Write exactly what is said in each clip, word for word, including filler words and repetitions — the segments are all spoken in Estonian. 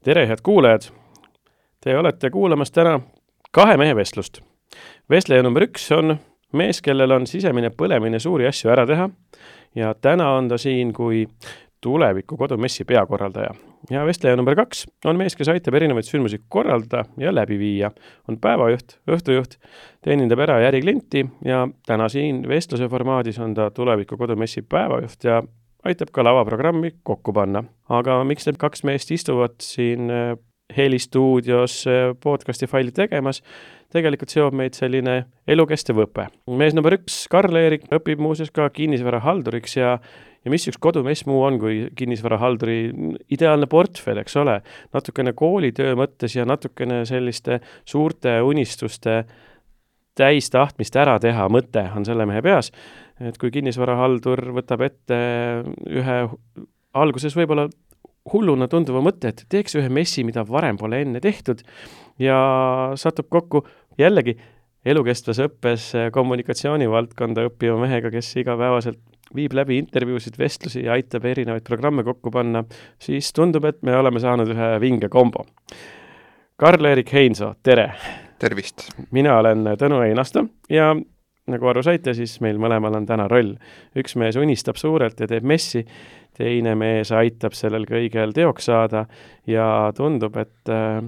Tere, head kuulajad! Te olete kuulamas täna kahe mehe vestlust. Vestleja number üks on mees, kellel on sisemine põlemine suuri asju ära teha ja täna on ta siin kui tuleviku kodumessi peakorraldaja. Ja vestleja number kaks on mees, kes aitab erinevaid sündmusi korraldada ja läbi viia. On päevajuht, õhtujuht, teenindab ära ja äriklienti ja täna siin vestluse formaadis on ta tuleviku kodumessi päevajuht ja aitab ka lavaprogrammi kokku panna. Aga miks need kaks meest istuvad siin helistuudios podcasti faili tegemas, tegelikult seob meid selline elukestev õpe. Mees number üks, Karl-Erik, õpib muuseas ka kinnisvara halduriks ja, ja mis üks kodumess muu on kui kinnisvara halduri ideaalne portfell, eks ole. Natukene koolitöö mõttes ja natukene selliste suurte unistuste täis tahtmist ära teha mõte on selle mehe peas. Et kui kinnisvarahaldur võtab ette ühe alguses võib-olla hulluna tunduva mõtte, et teeks ühe messi, mida varem pole enne tehtud ja satub kokku jällegi elukestvas õppes kommunikatsiooni valdkonda õppiva mehega, kes igapäevaselt viib läbi intervjuusid, vestlusi ja aitab erinevaid programme kokku panna, siis tundub, et me oleme saanud ühe vinge kombo. Karl-Erik Heinso, tere! Tervist! Mina olen Tõnu Einasto ja nagu aru saite, siis meil mõlemal on täna roll. Üks mees unistab suurelt ja teeb messi, teine mees aitab sellel kõigel teoks saada ja tundub, et äh,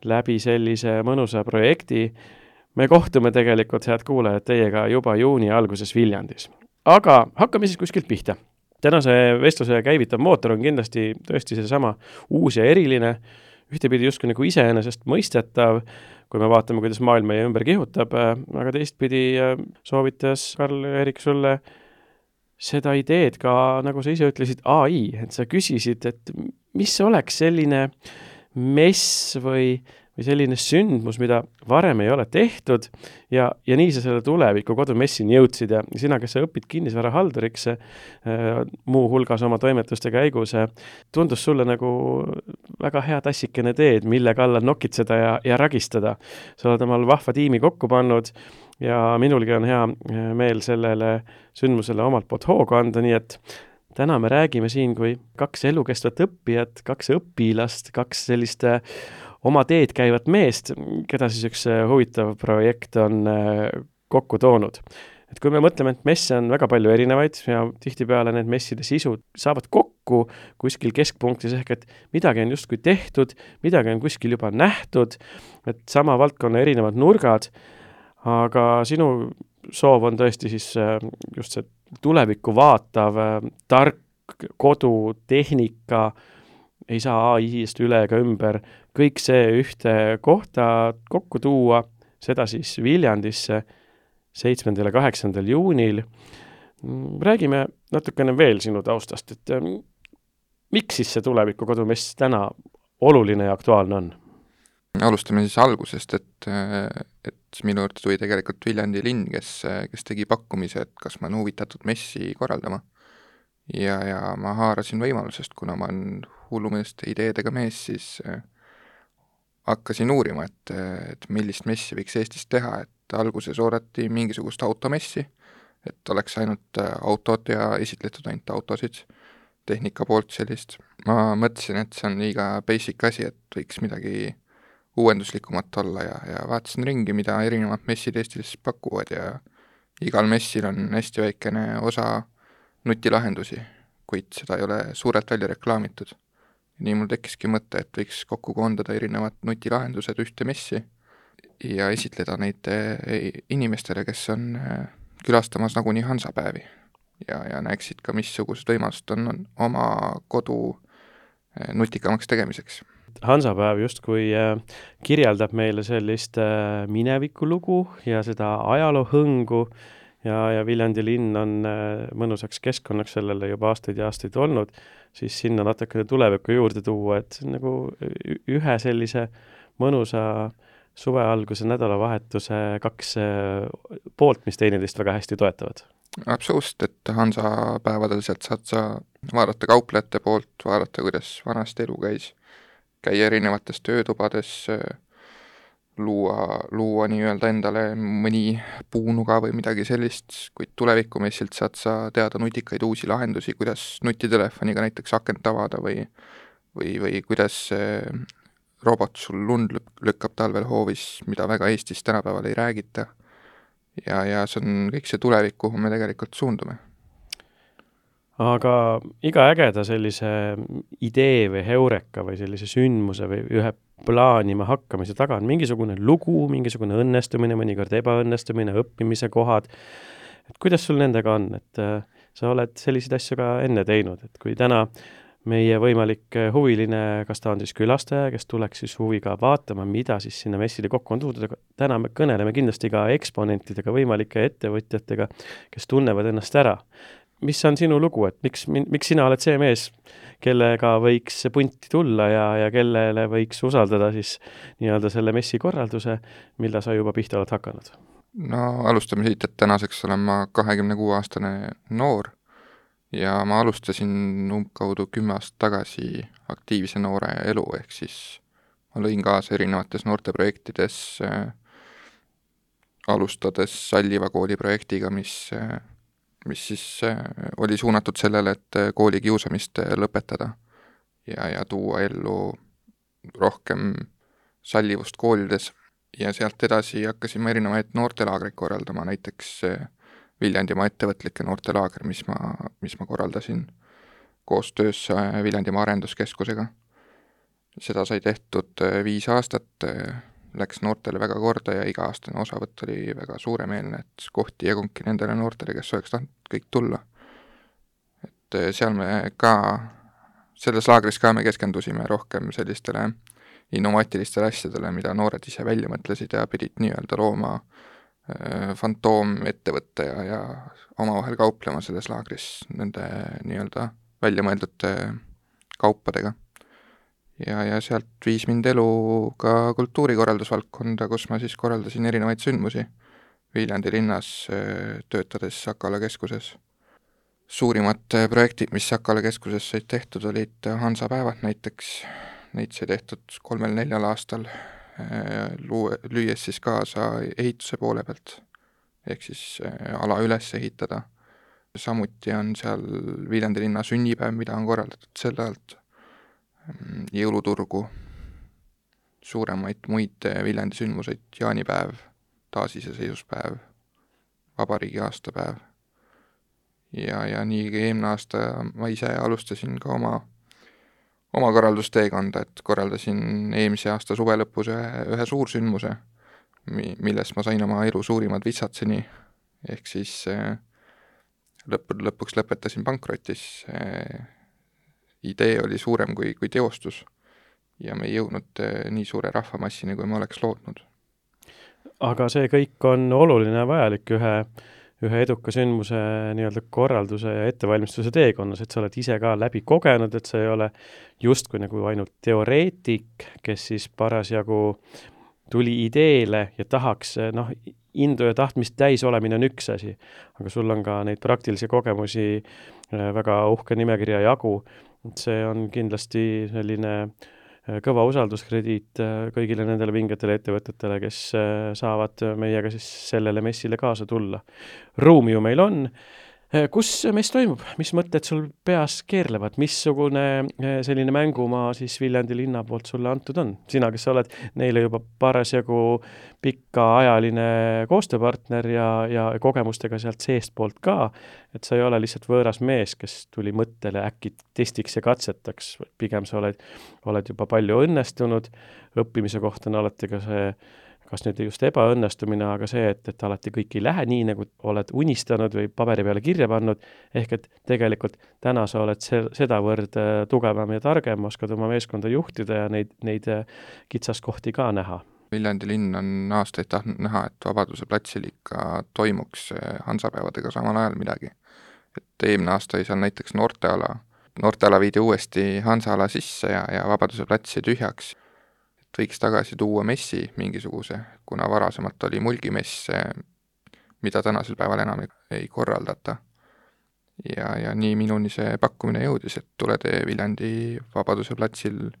läbi sellise mõnusa projekti me kohtume tegelikult, head kuulajad, teiega juba juuni alguses Viljandis. Aga hakkame siis kuskilt pihta. Tänase vestluse käivitav mootor on kindlasti tõesti seesama uus ja eriline, ühtepidi justkui nagu iseenesest mõistetav, kui me vaatame, kuidas maailm meie ümber kihutab, aga teistpidi soovitas Karl-Erik sulle seda ideed ka, nagu sa ise ütlesid, A I, et sa küsisid, et mis oleks selline mess või, või selline sündmus, mida varem ei ole tehtud ja, ja nii sa selle tuleviku kodumessini jõudsid ja sina, kes sa õpid kinnisvara halduriks muu hulgas oma toimetuste käigus, tundus sulle nagu väga hea tassikene teed, mille kallal nokitseda ja, ja ragistada. Sa oled omal vahva tiimi kokku pannud ja minulgi on hea meel sellele sündmusele omalt poolt hoogu anda, nii et täna me räägime siin kui kaks elukestvat õppijat, kaks õpilast, kaks selliste oma teed käivat meest, keda siis üks huvitav projekt on kokku toonud. Et kui me mõtleme, et messe on väga palju erinevaid ja tihtipeale need messide sisud saavad kokku kuskil keskpunktis ehk, et midagi on justkui tehtud, midagi on kuskil juba nähtud, et sama valdkonna erinevad nurgad, aga sinu soov on tõesti siis just see tulevikku vaatav, tark kodu, tehnika, ei saa A I-st üle ega ümber, kõik see ühte kohta kokku tuua, seda siis Viljandisse seitsmendal ja kaheksandal juunil. Räägime natukene veel sinu taustast, et miks siis see tuleviku kodumess täna oluline ja aktuaalne on? Alustame siis algusest, et, et minu juurde tuli tegelikult Viljandi linn, kes, kes tegi pakkumise, et kas ma olen huvitatud messi korraldama. Ja, ja ma haarasin võimalusest, kuna ma olen hullumõiste ideedega mees, siis äh, hakkasin uurima, et, et millist messi võiks Eestis teha, et alguses oodati mingisugust automessi, et oleks ainult autod ja esitletud ainult autosid, tehnika poolt sellist. Ma mõtlesin, et see on liiga basic asi, et võiks midagi uuenduslikumat olla ja, ja vaatasin ringi, mida erinevad messid Eestis pakuvad ja igal messil on hästi väikene osa nutilahendusi, kuid seda ei ole suurelt välja reklaamitud. Nii mul tekkiski mõte, et võiks kokku koondada erinevad nutilahendused ühte messi ja esitleda neid inimestele, kes on külastamas nagunii Hansapäevi ja, ja näeksid ka, missugused võimalused on, on oma kodu nutikamaks tegemiseks. Hansapäev justkui kirjeldab meile sellist minevikulugu ja seda ajaloohõngu ja, ja Viljandi linn on mõnusaks keskkonnaks sellele juba aastaid ja aastaid olnud, siis sinna natukene tulevikku juurde tuua, et nagu ühe sellise mõnusa suvealguse nädalavahetuse kaks poolt, mis teineteist väga hästi toetavad. Absoluutselt, et Hansapäevadel sealt saad sa vaadata kauplejate poolt, vaadata, kuidas vanasti elu käis, käia erinevates töötubades, luua, luua nii-öelda endale mõni puunuga või midagi sellist, kuid tulevikumessilt saad sa teada nutikaid uusi lahendusi, kuidas nutitelefoniga näiteks akent avada või, või, või kuidas robot sul lund lükkab talvel hoovis, mida väga Eestis tänapäeval ei räägita. Ja, ja see on kõik see tulevik, kuhu me tegelikult suundume. Aga iga ägeda sellise idee või heureka või sellise sündmuse või ühe plaanima hakkamise taga on mingisugune lugu, mingisugune õnnestumine, mõnikord ebaõnnestumine, õppimise kohad. Et kuidas sul nendega on? Et äh, sa oled selliseid asju ka enne teinud, et kui täna meie võimalik huviline, kas ta on siis külastaja, kes tuleks siis huviga vaatama, mida siis sinna messile kokku on tuudud, aga täna me kõneleme kindlasti ka eksponentidega, võimalike ettevõtjatega, kes tunnevad ennast ära. Mis on sinu lugu, et miks, miks sina oled see mees, kellega võiks punti tulla ja, ja kellele võiks usaldada siis nii-öelda selle messi korralduse, mille sa juba pihta oled hakanud? No alustame siit, et tänaseks olen ma kahekümne kuue aastane noor ja ma alustasin umbkaudu kümme aastat tagasi aktiivse noore elu, ehk siis ma lõin kaasa erinevates noorteprojektides, äh, alustades Salliva kooli projektiga, mis äh, mis siis oli suunatud sellele, et kooli kiusamist lõpetada ja, ja tuua ellu rohkem sallivust koolides. Ja sealt edasi hakkasin ma erinevaid noortelaagreid korraldama, näiteks Viljandimaa ettevõtlike noortelaager, mis ma, mis ma korraldasin koostöös Viljandimaa arenduskeskusega. Seda sai tehtud viis aastat, läks noortele väga korda ja iga-aastane osavõtt oli väga suuremeelne, et kohti jagungi nendele noortele, kes oleks tahtnud kõik tulla. Et seal me ka, selles laagris ka me keskendusime rohkem sellistele innovaatilistele asjadele, mida noored ise välja mõtlesid ja pidid nii-öelda looma äh, fantoom ettevõtte ja, ja omavahel kauplema selles laagris nende nii-öelda välja mõeldud kaupadega. Ja, ja sealt viis mind elu ka kultuurikorraldusvaldkonda, kus ma siis korraldasin erinevaid sündmusi Viljandi linnas, töötades Sakala keskuses. Suurimad projektid, mis Sakala keskuses said tehtud, olid Hansapäevad näiteks, neid sai tehtud kolmel-neljal aastal, lüües siis kaasa ehituse poole pealt, ehk siis ala üles ehitada. Samuti on seal Viljandi linna sünnipäev, mida on korraldatud selle alt, jõuluturgu, suuremaid muid Viljandi sündmuseid, jaanipäev, taasiseseisvuspäev, vabariigi aastapäev. Ja, ja nii eelmine aasta ma ise alustasin ka oma, oma korraldusteekonda, et korraldasin eelmise aasta suve lõpus ühe, ühe suursündmuse, milles ma sain oma elu suurimad vitsatseni, ehk siis lõpp, lõpuks lõpetasin pankrotis. Idee oli suurem kui, kui teostus ja me ei jõudnud nii suure rahvamassini, kui ma oleks lootnud. Aga see kõik on oluline ja vajalik ühe, ühe eduka sündmuse nii-öelda korralduse ja ettevalmistuse teekonnas, et sa oled ise ka läbi kogenud, et sa ei ole justkui nagu ainult teoreetik, kes siis parasjagu tuli ideele ja tahaks, noh, indu ja tahtmist täis olemine on üks asi, aga sul on ka neid praktilisi kogemusi väga uhke nimekirja jagu. See on kindlasti selline kõva usalduskrediit kõigile nendele vingetele ettevõtetele, kes saavad meiega siis sellele messile kaasa tulla. Ruumi ju meil on. Kus mess toimub? Mis mõtted sul peas keerlevad? Missugune selline mängumaa siis Viljandi linna poolt sulle antud on? Sina, kes sa oled neile juba parasjagu pikaajaline koostööpartner ja, ja kogemustega sealt seest poolt ka, et sa ei ole lihtsalt võõras mees, kes tuli mõttele äkki testiks ja katsetaks. Pigem sa oled, oled juba palju õnnestunud. Õppimise kohta on alati ka see, kas nüüd just ebaõnnestumine, aga see, et, et alati kõik ei lähe nii, nagu oled unistanud või paberi peale kirja pannud, ehk et tegelikult täna sa oled se- sedavõrd tugevam ja targem, oskad oma meeskonda juhtida ja neid, neid kitsaskohti ka näha. Viljandi linn on aastaid tahtnud näha, et Vabaduse platsil ikka toimuks Hansapäevadega samal ajal midagi. Et eelmine aasta oli seal näiteks noorteala. Noorteala viidi uuesti Hansaala sisse ja, ja Vabaduse platsi tühjaks. Võiks tagasi tuua messi mingisuguse, kuna varasemalt oli mulgimess, mida tänasel päeval enam ei korraldata. Ja, ja nii minuni see pakkumine jõudis, et tuled Viljandi Vabaduse platsil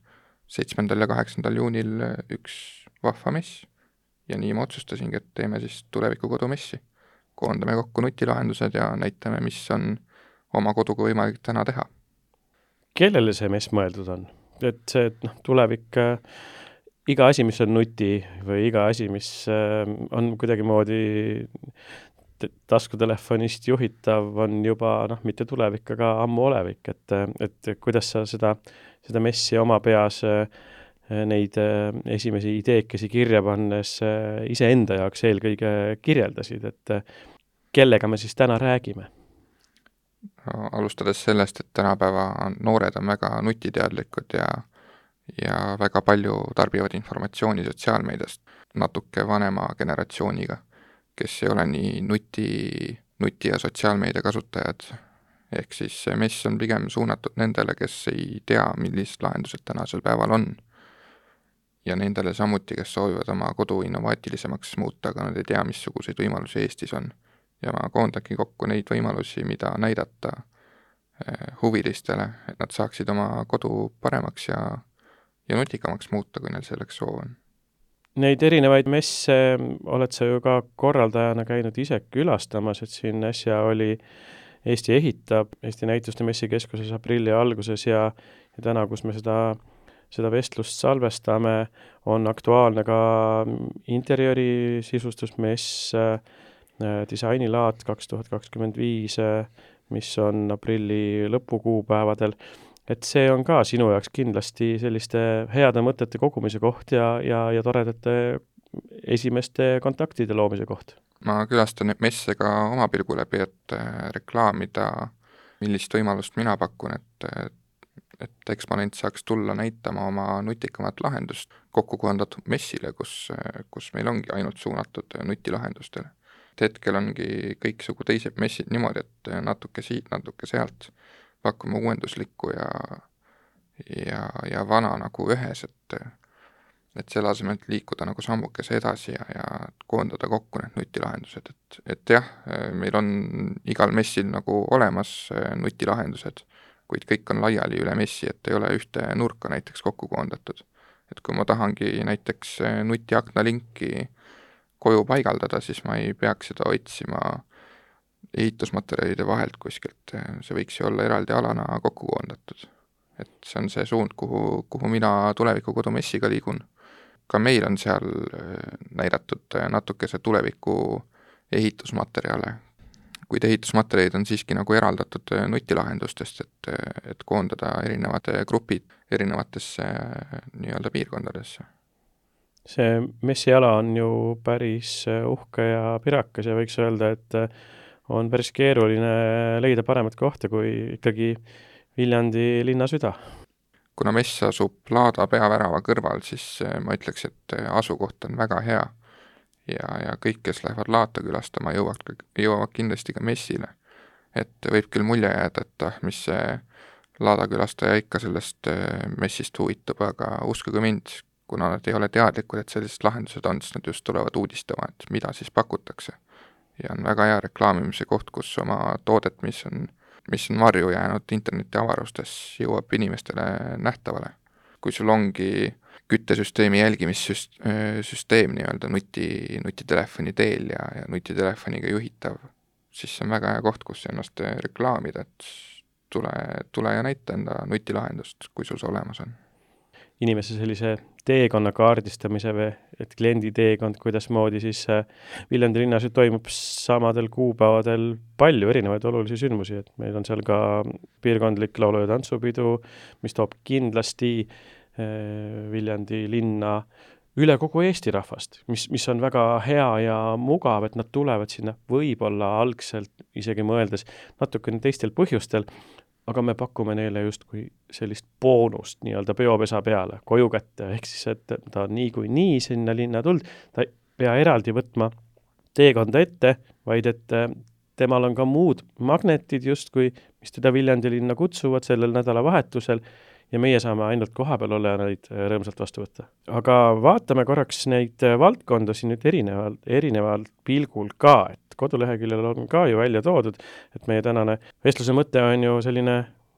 seitsmendal ja kaheksandal juunil üks vahva mess. Ja nii ma otsustasingi, et teeme siis tuleviku kodumessi. Koondame kokku nutilahendused ja näitame, mis on oma koduga võimalik täna teha. Kellele see mess mõeldud on? Et see et, noh, tulevik iga asi, mis on nuti või iga asi, mis on kuidagimoodi taskutelefonist juhitav, on juba noh, mitte tulevik, aga ammu olevik, et, et kuidas sa seda, seda messi oma peas neid esimesi ideekesi kirja pannes iseenda jaoks eelkõige kirjeldasid, et kellega me siis täna räägime? Alustades sellest, et tänapäeva noored on väga nutiteadlikud ja, ja väga palju tarbivad informatsiooni sotsiaalmeediast natuke vanema generatsiooniga, kes ei ole nii nuti, nuti ja sotsiaalmeedia kasutajad. Ehk siis mess on pigem suunatud nendele, kes ei tea, millised lahendused tänasel päeval on. Ja nendele samuti, kes soovivad oma kodu innovaatilisemaks muuta, aga nad ei tea, missuguseid võimalusi Eestis on. Ja ma koondagi kokku neid võimalusi, mida näidata huvilistele, et nad saaksid oma kodu paremaks ja, ja nutikamaks muuta, kui neil selleks soov on. Neid erinevaid messe oled sa ju ka korraldajana käinud ise külastamas, et siin äsja oli Eesti ehitab Eesti näituste messikeskuses aprilli alguses ja, ja täna, kus me seda, seda vestlust salvestame, on aktuaalne ka interjööri sisustusmess, disainilaat kaks tuhat kakskümmend viis, mis on aprilli lõpukuupäevadel. Et see on ka sinu jaoks kindlasti selliste heade mõtete kogumise koht ja, ja, ja toredate esimeste kontaktide loomise koht. Ma külastan neid messe ka oma pilgu läbi, et reklaamida, millist võimalust mina pakun, et, et Exponent saaks tulla näitama oma nutikamat lahendust kokku kohandatud messile, kus, kus meil ongi ainult suunatud nutilahendustele. Hetkel ongi kõiksugu teised messid niimoodi, et natuke siit, natuke sealt pakkuma uuenduslikku ja, ja, ja vana nagu ühes, et, et selle asemel liikuda nagu sammukese edasi ja, ja koondada kokku need nutilahendused. Et, et jah, meil on igal messil nagu olemas nutilahendused, kuid kõik on laiali üle messi, et ei ole ühte nurka näiteks kokku koondatud. Et kui ma tahangi näiteks nutiakna linki koju paigaldada, siis ma ei peaks seda otsima ehitusmaterjalide vahelt kuskilt, see võiks ju olla eraldi alana kokku koondatud. Et see on see suund, kuhu, kuhu mina tuleviku kodumessiga liigun. Ka meil on seal näidatud natukese tuleviku ehitusmaterjale, kuid ehitusmaterjalid on siiski nagu eraldatud nutilahendustest, et, et koondada erinevad grupid erinevatesse nii-öelda piirkondadesse. See messiala on ju päris uhke ja pirakas ja võiks öelda, et on päris keeruline leida paremat kohta kui ikkagi Viljandi linna süda. Kuna mess asub Laada peavärava kõrval, siis ma ütleks, et asukoht on väga hea ja, ja kõik, kes lähevad Laata külastama, jõuavad, jõuavad kindlasti ka messile. Et võib küll mulje jääda, et ah, mis see Laada külastaja ikka sellest messist huvitub, aga uskuge mind, kuna nad ei ole teadlikud, et sellised lahendused on, siis nad just tulevad uudistama, et mida siis pakutakse. Ja on väga hea reklaamimise koht, kus oma toodet, mis on, mis on varju jäänud interneti avarustes, jõuab inimestele nähtavale. Kui sul ongi küttesüsteemi jälgimissüsteem nii-öelda nuti, nutitelefoni teel ja, ja nutitelefoniga juhitav, siis see on väga hea koht, kus ennast reklaamida, et tule, tule ja näita enda nutilahendust, kui sul see olemas on. Inimese sellise teekonna kaardistamise või, et kliendi teekond, kuidas moodi siis Viljandi linnas toimub samadel kuupäevadel palju erinevaid olulisi sündmusi, et meil on seal ka piirkondlik laulu- ja tantsupidu, mis toob kindlasti Viljandi linna üle kogu Eesti rahvast, mis, mis on väga hea ja mugav, et nad tulevad sinna võib-olla algselt isegi mõeldes natukene teistel põhjustel, aga me pakume neile justkui sellist boonust nii-öelda peopesa peale, koju kätte, ehk siis, et ta on nii kui nii sinna linna tuld, ta ei pea eraldi võtma teekonda ette, vaid et temal on ka muud magnetid justkui, mis teda Viljandi linna kutsuvad sellel nädalavahetusel ja meie saame ainult kohapeal olla ja neid rõõmsalt vastu võtta. Aga vaatame korraks neid valdkondasid nüüd erinevalt, erinevalt pilgul ka, et koduleheküljel on ka ju välja toodud, et meie tänane vestluse mõte on ju selline,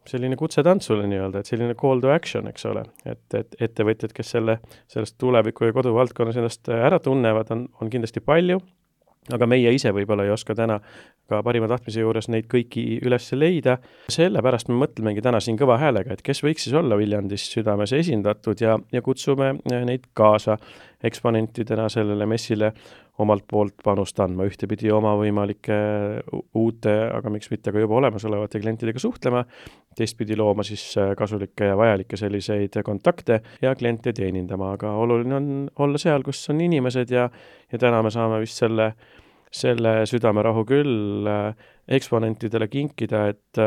selline kutsetantsule nii-öelda, et selline call to action, eks ole, et, et ettevõtjad, kes selle, sellest tuleviku ja koduvaldkonnas ennast ära tunnevad, on, on kindlasti palju, aga meie ise võib-olla ei oska täna ka parima tahtmise juures neid kõiki üles leida. Sellepärast me mõtlemegi täna siin kõva häälega, et kes võiks siis olla Viljandis Südames esindatud ja, ja kutsume neid kaasa eksponentidena sellele messile omalt poolt panust andma, ühtepidi oma võimalike uute, aga miks mitte ka juba olemasolevate klientidega suhtlema, teistpidi looma siis kasulikke ja vajalikke selliseid kontakte ja kliente teenindama, aga oluline on olla seal, kus on inimesed ja, ja täna me saame vist selle selle südamerahu küll eksponentidele kinkida, et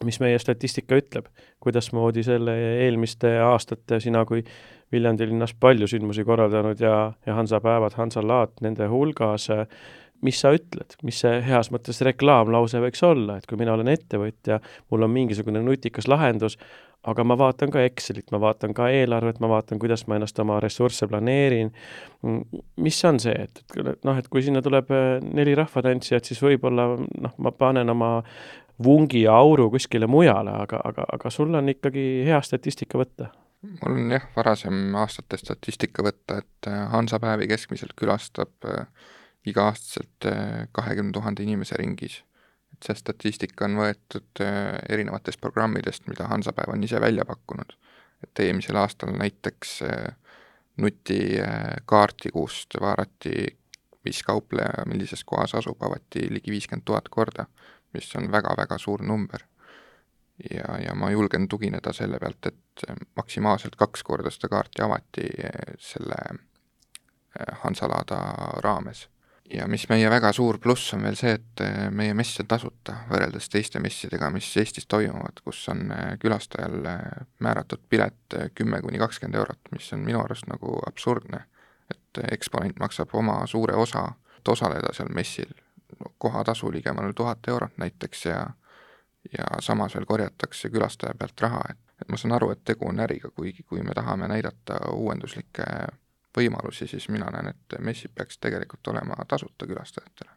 mis meie statistika ütleb, kuidas moodi selle eelmiste aastate sina kui Viljandi linnas palju sündmusi korraldanud ja, ja Hansapäevad, Hansalaat nende hulgas, mis sa ütled, mis see heas mõttes reklaamlause võiks olla, et kui mina olen ettevõtja, mul on mingisugune nutikas lahendus, aga ma vaatan ka Excelit, ma vaatan ka eelarvet, ma vaatan, kuidas ma ennast oma ressursse planeerin. Mis on see, et, et, noh, et kui sinna tuleb neli rahvatantsijat, siis võib-olla noh, ma panen oma vungi ja auru kuskile mujale, aga, aga, aga sul on ikkagi hea statistika võtta. Mul on jah, varasem aastate statistika võtta, et Hansapäevi keskmiselt külastab iga-aastaselt kahekümne tuhande inimese ringis. See statistika on võetud erinevatest programmidest, mida Hansapäev on ise välja pakkunud. Et eelmisel aastal näiteks nuti kaarti, kust vaarati, mis kaupleja millises kohas asub, avati ligi viiskümmend tuhat korda, mis on väga-väga suur number. Ja, ja ma julgen tugineda selle pealt, et maksimaalselt kaks korda seda kaarti avati selle Hansalaada raames. Ja mis meie väga suur pluss on veel see, et meie mess on tasuta võrreldes teiste messidega, mis Eestis toimuvad, kus on külastajal määratud pilet kümme kuni kakskümmend eurot, mis on minu arust nagu absurdne, et eksponent maksab oma suure osa, et osaleda seal messil kohatasu ligemale tuhat eurot näiteks ja, ja samas veel korjatakse külastaja pealt raha, et, et ma saan aru, et tegu on äriga, kuigi kui me tahame näidata uuenduslikke võimalusi, siis mina näen, et messid peaks tegelikult olema tasuta külastajatele.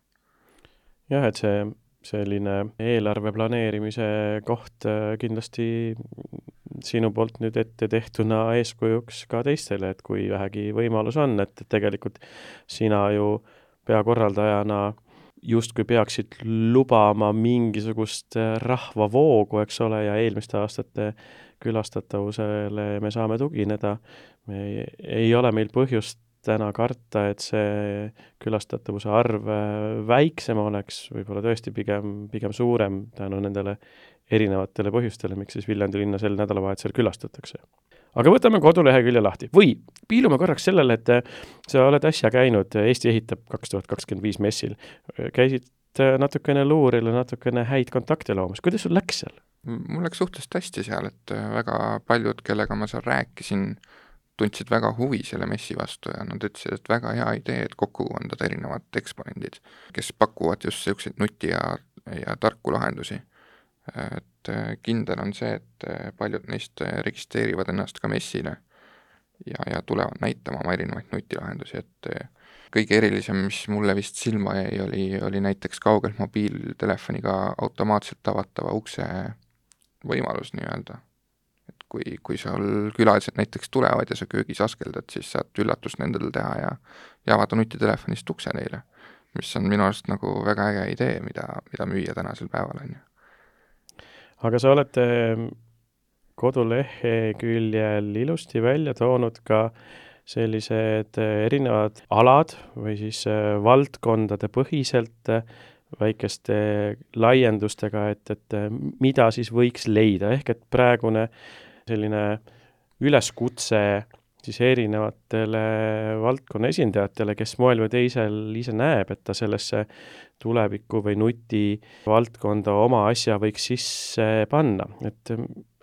Jah, et see selline eelarve planeerimise koht kindlasti sinu poolt nüüd ette tehtuna eeskujuks ka teistele, et kui vähegi võimalus on, et tegelikult sina ju peakorraldajana justkui peaksid lubama mingisugust rahvavoogu, eks ole, ja eelmiste aastate külastatavusele me saame tugineda. Me ei, ei ole meil põhjust täna karta, et see külastatavuse arv väiksem oleks, võib-olla tõesti pigem, pigem suurem tänu nendele erinevatele põhjustele, miks siis Viljandi linna sel nädalavahetusel külastatakse. Aga võtame kodulehekülje lahti. Või piilume korraks sellele, et sa oled äsja käinud Eesti ehitab kaks tuhat kakskümmend viis messil. Käisid natukene luuril ja natukene häid kontakte loomas. Kuidas sul läks seal? Mul läks suhteliselt hästi seal, et väga paljud, kellega ma seal rääkisin, tundsid väga huvi selle messi vastu ja nad ütlesid, et väga hea idee, et kokku kondada erinevad eksponendid, kes pakuvad just selliseid nuti ja, ja tarku lahendusi. Et kindel on see, et paljud neist registreerivad ennast ka messile ja, ja tulevad näitama oma erinevaid nutilahendusi, et kõige erilisem, mis mulle vist silma jäi, oli, oli näiteks kaugelt mobiiltelefoniga automaatselt avatava ukse võimalus nii-öelda. Et kui, kui seal külalised näiteks tulevad ja sa köögis askeldad, siis saad üllatust nendel teha ja, ja avada nutitelefonist ukse neile, mis on minu arust nagu väga äge idee, mida, mida müüa tänasel päeval on. Aga sa olete koduleheküljel ilusti välja toonud ka sellised erinevad alad või siis valdkondade põhiselt väikeste laiendustega, et, et mida siis võiks leida, ehk et praegune selline üleskutse siis erinevatele valdkonna esindajatele, kes moel või teisel ise näeb, et ta sellesse tuleviku või nuti valdkonda oma asja võiks sisse panna. Et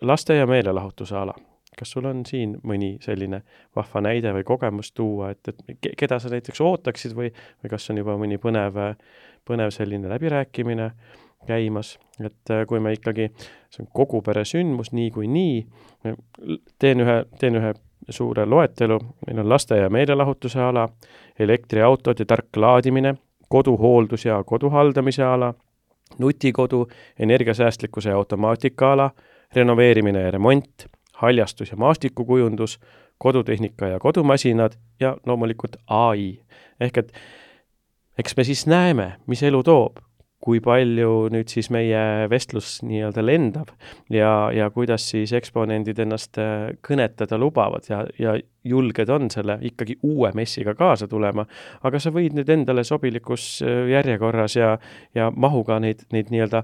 laste ja meelelahutuse ala. Kas sul on siin mõni selline vahva näide või kogemus tuua, et, et keda sa näiteks ootaksid või, või kas on juba mõni põnev, põnev selline läbirääkimine käimas, et kui me ikkagi, see on kogu pere sündmus nii kui nii, teen ühe, teen ühe suure loetelu, meil on laste ja meelelahutuse ala, elektriautod ja tark laadimine, koduhooldus ja koduhaldamise ala, nutikodu, energiasäästlikkuse ja automaatika ala, renoveerimine ja remont, haljastus ja maastikukujundus, kodutehnika ja kodumasinad ja loomulikult A I. Ehk et eks me siis näeme, mis elu toob, kui palju nüüd siis meie vestlus nii-öelda lendab ja, ja kuidas siis eksponendid ennast kõnetada lubavad ja, ja julged on selle ikkagi uue messiga kaasa tulema, aga sa võid nüüd endale sobilikus järjekorras ja, ja mahuga neid, neid nii-öelda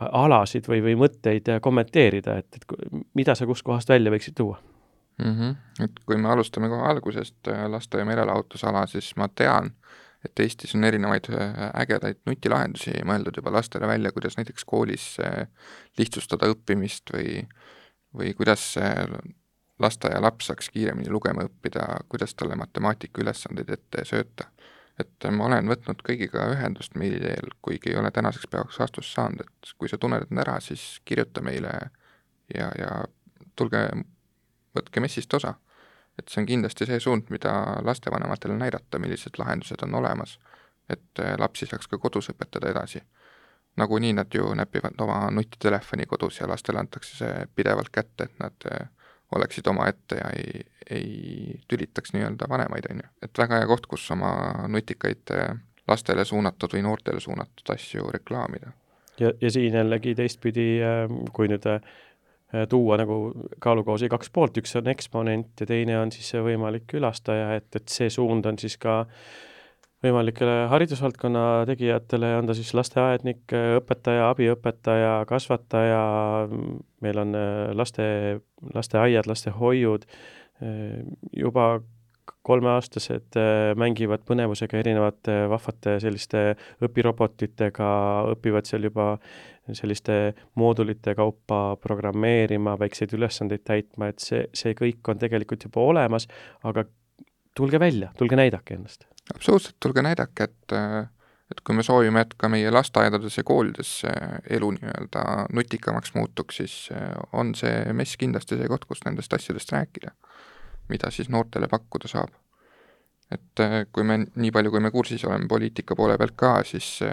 alasid või, või mõtteid kommenteerida, et, et mida sa kust kohast välja võiksid tuua? Mm-hmm. Et kui me alustame kohe algusest laste- ja merelahutusala, siis ma tean, et Eestis on erinevaid ägedaid nutilahendusi mõeldud juba lastele välja, kuidas näiteks koolis lihtsustada õppimist või, või kuidas lasteaia laps saaks kiiremini lugema õppida, kuidas talle matemaatika ülesandeid ette sööta. Et ma olen võtnud kõigiga ühendust meili teel, kuigi ei ole tänaseks päevaks vastust saanud, et kui sa tunned end ära, siis kirjuta meile ja, ja tulge, võtke messist osa. Et see on kindlasti see suund, mida lastevanematele näidata, millised lahendused on olemas, et lapsi saaks ka kodus õpetada edasi. Nagu nii nad ju näpivad oma nutitelefoni kodus ja lastele antakse see pidevalt kätte, et nad oleksid oma ette ja ei, ei tülitaks nii-öelda vanemaid, on ju. Et väga hea koht, kus oma nutikaid lastele suunatud või noortele suunatud asju reklaamida. Ja, ja siin jällegi teistpidi, kui nüüd tuua nagu kaalukausi kaks poolt, üks on eksponent ja teine on siis see võimalik külastaja, et, et see suund on siis ka võimalikele haridusvaldkonna tegijatele, on ta siis lasteaednik, õpetaja, abiõpetaja, kasvataja, meil on laste, lasteaiad, lastehoiud, juba kolmeaastased mängivad põnevusega erinevate vahvate selliste õpirobotitega, õpivad seal juba selliste moodulite kaupa programmeerima, väikseid ülesandeid täitma, et see, see kõik on tegelikult juba olemas, aga tulge välja, tulge näidake ennast. Absoluutselt, tulge näidake, et, et kui me soovime, et ka meie lasteaedades ja koolides elu nii-öelda nutikamaks muutuks, siis on see mess kindlasti see koht, kus nendest asjadest rääkida, mida siis noortele pakkuda saab. Et kui me nii palju, kui me kursis oleme poliitika poole pealt ka, siis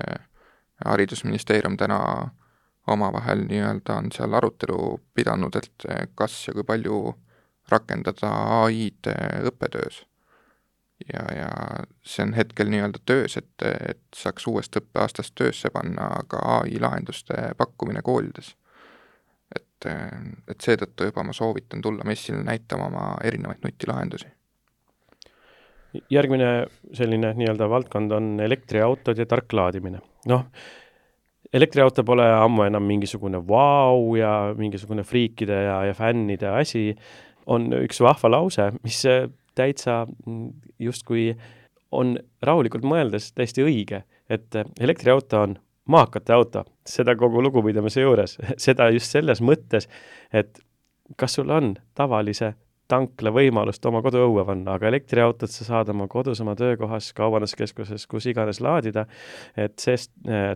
haridusministeerium täna omavahel nii-öelda on seal arutelu pidanud, et kas ja kui palju rakendada A I-d õppetöös. Ja, ja see on hetkel nii-öelda töös, et, et saaks uuest õppeaastast töösse panna ka A I lahenduste pakkumine koolides. Et, et seetõttu juba ma soovitan tulla messile näitama oma erinevaid nutilahendusi. Järgmine selline nii-öelda valdkond on elektriautod ja tark laadimine. Noh, elektriauto pole ammu enam mingisugune vau ja mingisugune friikide ja, ja fännide asi. On üks vahva lause, mis täitsa justkui on rahulikult mõeldes täiesti õige, et elektriauto on maakate auto, seda kogu lugupidamise juures, seda just selles mõttes, et kas sul on tavalise tankla võimalust oma kodu õue panna, aga elektriautot sa saad oma kodus, oma töökohas, kaubanduskeskuses, kus iganes laadida, et see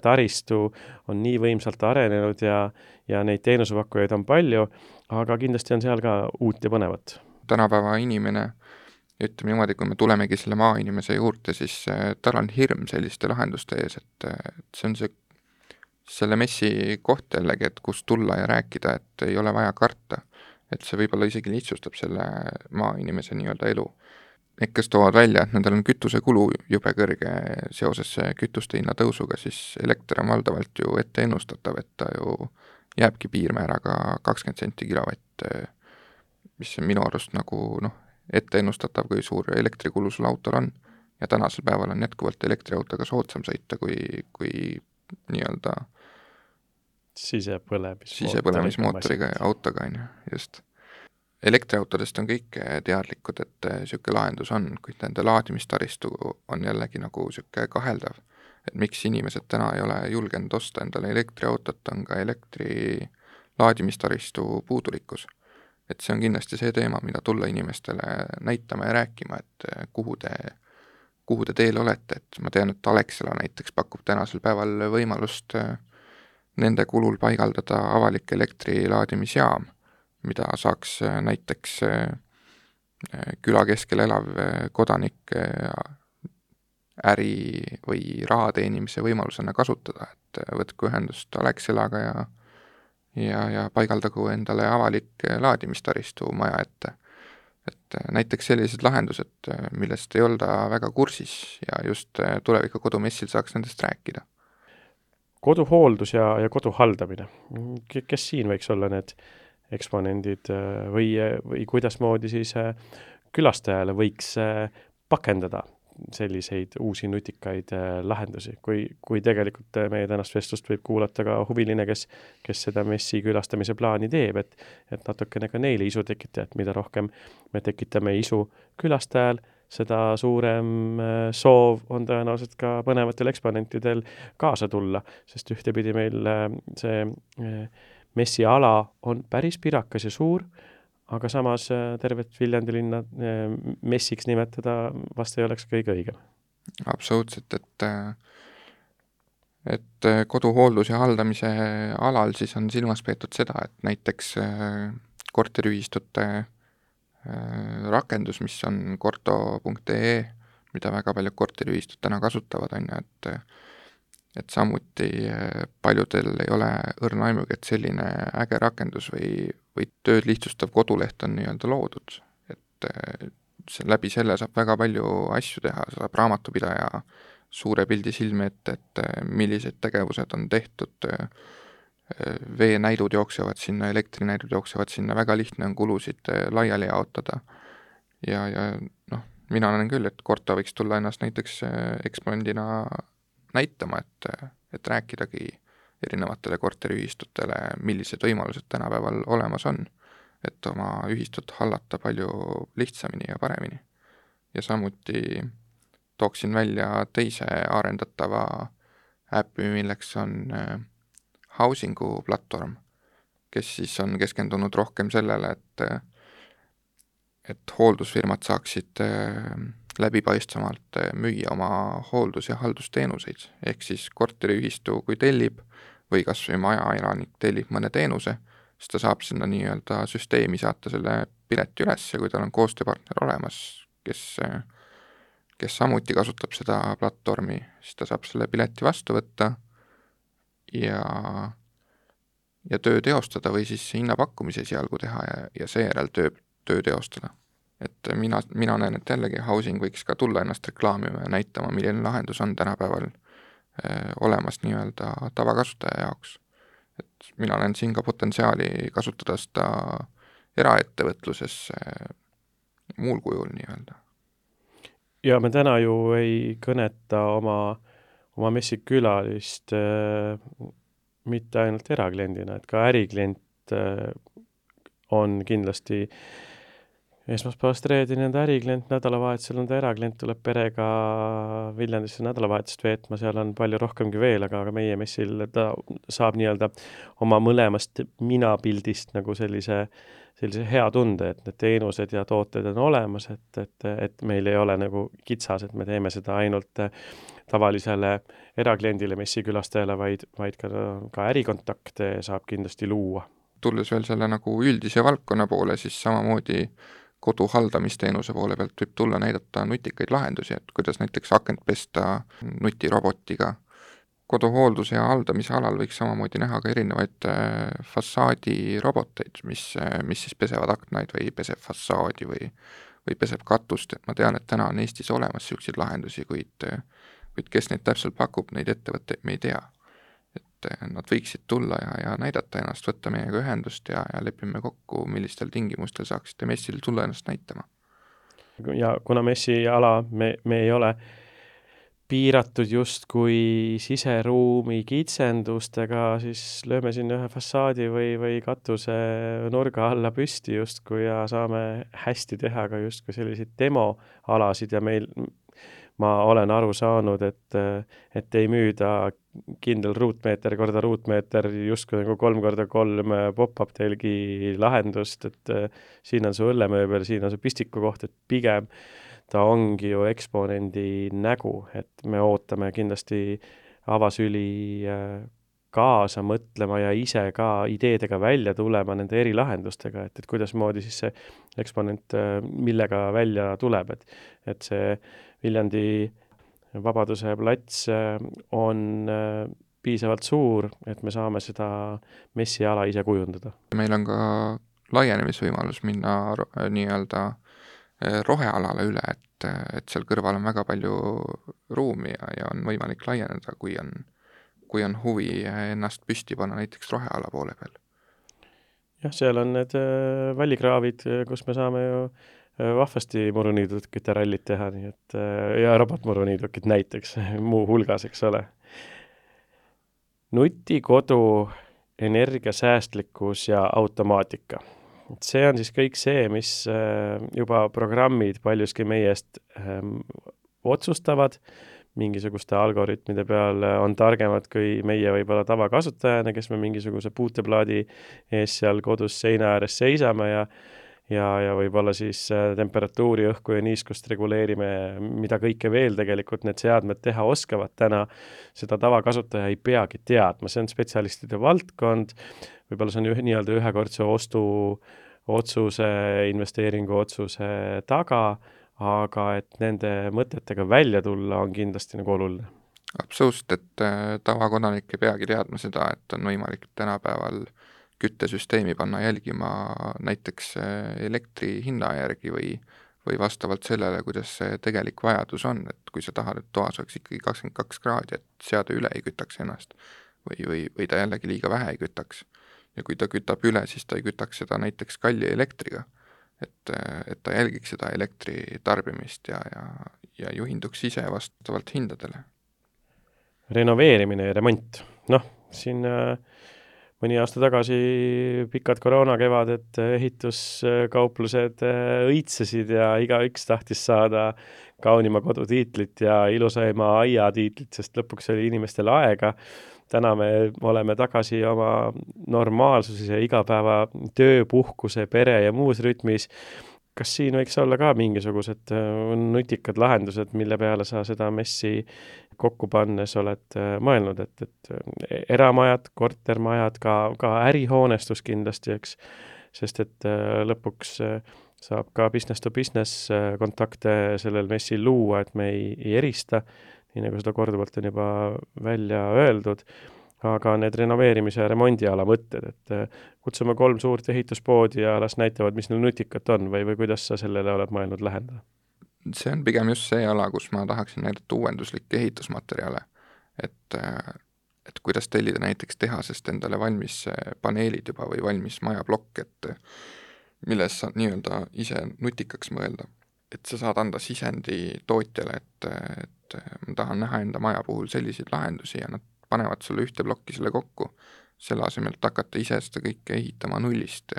taristu on nii võimsalt arenenud ja, ja neid teenusepakkujaid on palju, aga kindlasti on seal ka uut ja põnevat. Tänapäeva inimene, ütleme niimoodi, kui me tulemegi selle maainimese juurde, siis tal on hirm selliste lahenduste ees, et, et see on see, selle messi koht jällegi, et kus tulla ja rääkida, et ei ole vaja karta. Et see võib-olla isegi lihtsustab selle maainimese nii-öelda elu. Need, kes toovad välja, et nendel on kütuse kulu jube kõrge seoses kütuste hinna tõusuga, siis elekter on valdavalt ju ette ennustatav, et ta ju jääbki piirmääraga kakskümmend senti kilovatt, mis on minu arust nagu noh, ette ennustatav, kui suur elektrikulu sul autol on. Ja tänasel päeval on jätkuvalt elektriautoga soodsam sõita, kui, kui nii-öelda sisepõlemismootoriga ja autoga, on ju, just. Elektriautodest on kõik teadlikud, et siuke lahendus on, kuid nende laadimistaristu on jällegi nagu siuke kaheldav, et miks inimesed täna ei ole julgenud osta endale elektriautot, on ka elektri laadimistaristu puudulikkus. Et see on kindlasti see teema, mida tulla inimestele näitama ja rääkima, et kuhu te, kuhu te teel olete, et ma tean, et Alexela näiteks pakub tänasel päeval võimalust nende kulul paigaldada avalik elektrilaadimisjaam, mida saaks näiteks küla keskel elav kodanik äri või raha teenimise võimalusena kasutada, et võtku ühendust Alexelaga ja, ja, ja paigaldagu endale avalik laadimistaristu maja ette. et näiteks sellised lahendused, millest ei olda väga kursis ja just tuleviku kodumessil saaks nendest rääkida. Koduhooldus ja, ja kodu haldamine. Kes siin võiks olla need eksponendid või, või kuidasmoodi siis külastajale võiks pakendada selliseid uusi nutikaid lahendusi, kui, kui tegelikult meie tänast vestlust võib kuulata ka huviline, kes, kes seda messi külastamise plaani teeb, et, et natukene ka neile isu tekitada, et mida rohkem me tekitame isu külastajal, seda suurem soov on tõenäoliselt ka põnevatel eksponentidel kaasa tulla, sest ühtepidi meil see messi ala on päris pirakas ja suur, aga samas tervet Viljandi linna messiks nimetada vast ei oleks kõige õigem. Absoluutselt, et, et koduhooldus ja haldamise alal siis on silmas peetud seda, et näiteks korteriühistute rakendus, mis on korto punkt ee, mida väga paljud korteriühistud täna kasutavad, on ju, et et samuti paljudel ei ole õrna aimugi, et selline äge rakendus või, või tööd lihtsustav koduleht on nii-öelda loodud. Et see, läbi selle saab väga palju asju teha, saab raamatupidaja suure pildi silme ette, et millised tegevused on tehtud, veenäidud jooksevad sinna, elektrinäidud jooksevad sinna, väga lihtne on kulusid laiali jaotada. Ja, ja noh, mina näen küll, et Korto võiks tulla ennast näiteks eksponendina näitama, et, et rääkidagi erinevatele korteriühistutele, millised võimalused tänapäeval olemas on, et oma ühistut hallata palju lihtsamini ja paremini. Ja samuti tooksin välja teise arendatava äppi, milleks on Housingu platvorm, kes siis on keskendunud rohkem sellele, et, et hooldusfirmad saaksid läbipaistvamalt müüa oma hooldus- ja haldusteenuseid, ehk siis korteriühistu, kui tellib või kas või majaelanik tellib mõne teenuse, siis ta saab sinna nii-öelda süsteemi saata selle pileti üles ja kui tal on koostööpartner olemas, kes, kes samuti kasutab seda platvormi, siis ta saab selle pileti vastu võtta ja, ja töö teostada või siis hinnapakkumise sealgu teha ja, ja seejärel töö, töö teostada. Et mina, mina näen, et jällegi Housing võiks ka tulla ennast reklaamima ja näitama, milline lahendus on tänapäeval äh, olemas nii-öelda tavakasutaja jaoks. Et mina näen siin ka potentsiaali kasutada seda eraettevõtluses äh, muul kujul nii-öelda. Ja me täna ju ei kõneta oma, oma messikülalist äh, mitte ainult erakliendina, et ka äriklient äh, on kindlasti esmaspäevast reedeni on ta äriklient, nädalavahetusel on ta eraklient, tuleb perega Viljandisse nädalavahetust veetma, seal on palju rohkemgi veel, aga, aga meie messil ta saab nii-öelda oma mõlemast minapildist nagu sellise, sellise hea tunde, et need teenused ja tooted on olemas, et, et, et meil ei ole nagu kitsas, et me teeme seda ainult tavalisele erakliendile, messikülastajale, vaid, vaid ka, ka ärikontakte saab kindlasti luua. Tulles veel selle nagu üldise valdkonna poole, siis samamoodi kodu haldamisteenuse poole pealt võib tulla näidata nutikaid lahendusi, et kuidas näiteks akent pesta nutirobotiga. Koduhoolduse ja haldamise alal võiks samamoodi näha ka erinevaid fassaadiroboteid, mis, mis siis pesevad aknaid või peseb fassaadi või, või peseb katust, et ma tean, et täna on Eestis olemas selliseid lahendusi, kuid, kuid kes neid täpselt pakub, neid ettevõtteid me ei tea. Et nad võiksid tulla ja, ja näidata ennast, võtta meiega ühendust ja, ja lepime kokku, millistel tingimustel saaksite messil tulla ennast näitama. Ja kuna messi ala me, me ei ole piiratud just kui siseruumi kitsendustega, siis lööme sinna ühe fassaadi või, või katuse nurga alla püsti justkui ja saame hästi teha ka justkui selliseid demoalasid ja meil ma olen aru saanud, et, et ei müüda kindel ruutmeeter korda ruutmeeter justkui nagu kolm korda kolm pop-up telgi lahendust, et siin on su õllemööbel, siin on su pistiku koht, et pigem ta ongi ju eksponendi nägu, et me ootame kindlasti avasüli kaasa mõtlema ja ise ka ideedega välja tulema nende erilahendustega, et, et kuidas moodi siis see eksponent millega välja tuleb, et, et see Viljandi Vabaduse plats on piisavalt suur, et me saame seda messiala ise kujundada. Meil on ka laienemisvõimalus minna nii-öelda rohealale üle, et, et seal kõrval on väga palju ruumi ja, ja on võimalik laieneda, kui on, kui on huvi ennast püsti panna näiteks roheala poole peal. jah, seal on need äh, vallikraavid, kus me saame ju äh, vahvasti muruniidukite rallit teha, nii et äh, ja robotmuruniidukid näiteks muu hulgas, eks ole. Nutikodu, energiasäästlikkus ja automaatika. See on siis kõik see, mis äh, juba programmid paljuski meie eest äh, otsustavad, mingisuguste algoritmide peal on targemad kui meie võib-olla tavakasutajana, kes me mingisuguse puuteplaadi ees seal kodus seina ääres seisame ja ja, ja võib-olla siis temperatuuri, õhku ja niiskust reguleerime, mida kõike veel tegelikult need seadmed teha oskavad täna, seda tavakasutaja ei peagi teadma, see on spetsialistide valdkond, võib-olla see on ühe, nii-öelda ühekordse ostu otsuse, investeeringu otsuse taga, aga et nende mõtetega välja tulla on kindlasti nagu oluline. Absoluutselt, et tavakodanik ei peagi teadma seda, et on võimalik tänapäeval küttesüsteemi panna jälgima näiteks elektri hinna järgi või, või vastavalt sellele, kuidas see tegelik vajadus on, et kui sa tahad, et toas oleks ikkagi kakskümmend kaks kraadi, et seade üle ei kütaks ennast või, või, või ta jällegi liiga vähe ei kütaks. Ja kui ta kütab üle, siis ta ei kütaks seda näiteks kalli elektriga. Et, et ta jälgiks seda elektri tarbimist ja, ja, ja juhinduks ise vastavalt hindadele. Renoveerimine ja remont. Noh, siin äh, mõni aasta tagasi pikad koroonakevadet ehituskauplused äh, õitsesid ja igaüks tahtis saada kaunima kodutiitlit ja ilusaima aia tiitlit, sest lõpuks oli inimestel aega. Täna me oleme tagasi oma normaalsuses ja igapäeva töö, puhkuse, pere ja muus rütmis. Kas siin võiks olla ka mingisugused nutikad lahendused, mille peale sa seda messi kokku pannes oled mõelnud, et, et eramajad, kortermajad, ka, ka ärihoonestus kindlasti, eks, sest et lõpuks saab ka business to business kontakte sellel messil luua, et me ei, ei erista, nii nagu seda korduvalt on juba välja öeldud, aga need renoveerimise ja remondiala mõtted, et kutsume kolm suurt ehituspoodi ja las näitavad, mis neil nutikat on või, või kuidas sa sellele oled mõelnud lähendada? See on pigem just see ala, kus ma tahaksin näidata uuenduslikke ehitusmaterjale, et, et kuidas tellida näiteks tehasest endale valmis paneelid juba või valmis majablokk, et milles saad nii-öelda ise nutikaks mõelda. Et sa saad anda sisendi tootjale, et, et ma tahan näha enda maja puhul selliseid lahendusi ja nad panevad sulle ühte plokki selle kokku, selle asemelt hakata ise seda kõike ehitama nullist.